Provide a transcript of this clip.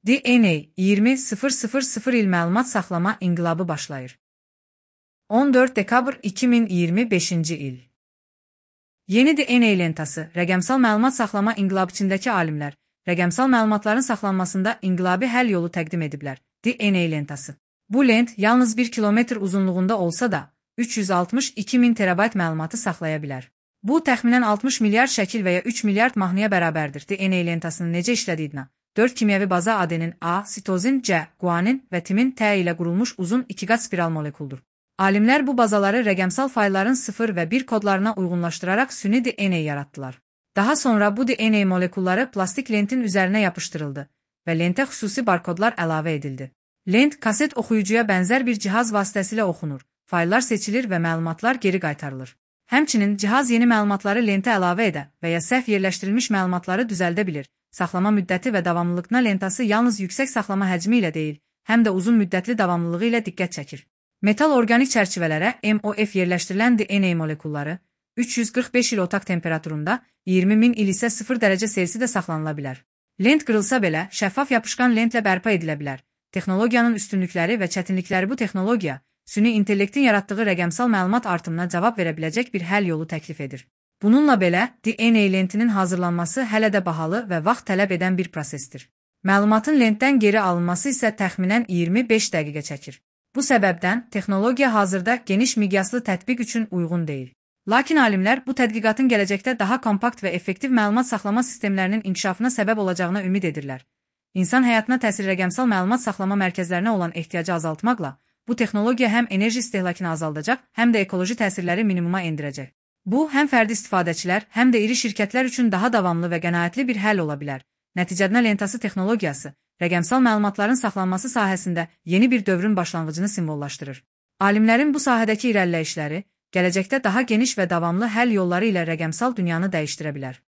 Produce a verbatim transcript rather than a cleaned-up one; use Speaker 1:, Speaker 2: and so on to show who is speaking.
Speaker 1: D N A iyirmi il məlumat saxlama inqilabı başlayır. on dörd dekabr iki min iyirmi beşinci il. Yeni D N A lentası, rəqəmsal məlumat saxlama inqilabı içindəki alimlər, rəqəmsal məlumatların saxlanmasında inqilabi həll yolu təqdim ediblər. D N A lentası. Bu lent yalnız bir kilometr uzunluğunda olsa da, üç yüz altmış iki min terabayt məlumatı saxlaya bilər. Bu, təxminən altmış milyard şəkil və ya üç milyard mahnıya bərabərdir. D N A lentasının necə işlədiyinə, dörd kimyəvi baza adenin A, sitozin C, guanin və timin T ilə qurulmuş uzun ikiqat spiral molekuldur. Alimlər bu bazaları rəqəmsal faylların sıfır və bir kodlarına uyğunlaşdıraraq süni D N A yaratdılar. Daha sonra bu D N A molekulları plastik lentin üzərinə yapışdırıldı və lentə xüsusi barkodlar əlavə edildi. Lent, kaset oxuyucuya bənzər bir cihaz vasitəsilə oxunur, fayllar seçilir və məlumatlar geri qaytarılır. Həmçinin cihaz yeni məlumatları lentə əlavə edə və ya səhv yerləşdirilmiş məlumatları düzəldə bilir. Saxlama müddəti və davamlılığına lentası yalnız yüksək saxlama həcmi ilə deyil, həm də uzun müddətli davamlılığı ilə diqqət çəkir. Metal orqanik çərçivələrə M O F yerləşdirilən D N A molekulları üç yüz qırx beş il otaq temperaturunda, iyirmi min il isə sıfır dərəcə Selsidə saxlanıla bilər. Lent qırılsa belə, şəffaf yapışqan lentlə bərpa edilə bilər. Texnologiyanın üstünlükləri və çətinlikləri bu texnologiya, süni intellektin yaratdığı rəqəmsal məlumat artımına cavab verə biləcək bir həll yolu təklif edir. Bununla belə, D N A lentinin hazırlanması hələ də bahalı və vaxt tələb edən bir prosesdir. Məlumatın lentdən geri alınması isə təxminən iyirmi beş dəqiqə çəkir. Bu səbəbdən, texnologiya hazırda geniş miqyaslı tətbiq üçün uyğun deyil. Lakin alimlər bu tədqiqatın gələcəkdə daha kompakt və effektiv məlumat saxlama sistemlərinin inkişafına səbəb olacağına ümid edirlər. İnsan həyatına təsir rəqəmsal məlumat saxlama mərkəzlərinə olan ehtiyacı azaltmaqla, bu texnologiya həm enerji istehlakını azaldacaq, həm də ekoloji təsirləri minimuma endirəcək. Bu, həm fərdi istifadəçilər, həm də iri şirkətlər üçün daha davamlı və qənaətli bir həll ola bilər. Nəticədə lentası texnologiyası, rəqəmsal məlumatların saxlanması sahəsində yeni bir dövrün başlanğıcını simvollaşdırır. Alimlərin bu sahədəki irəliləyişləri, gələcəkdə daha geniş və davamlı həll yolları ilə rəqəmsal dünyanı dəyişdirə bilər.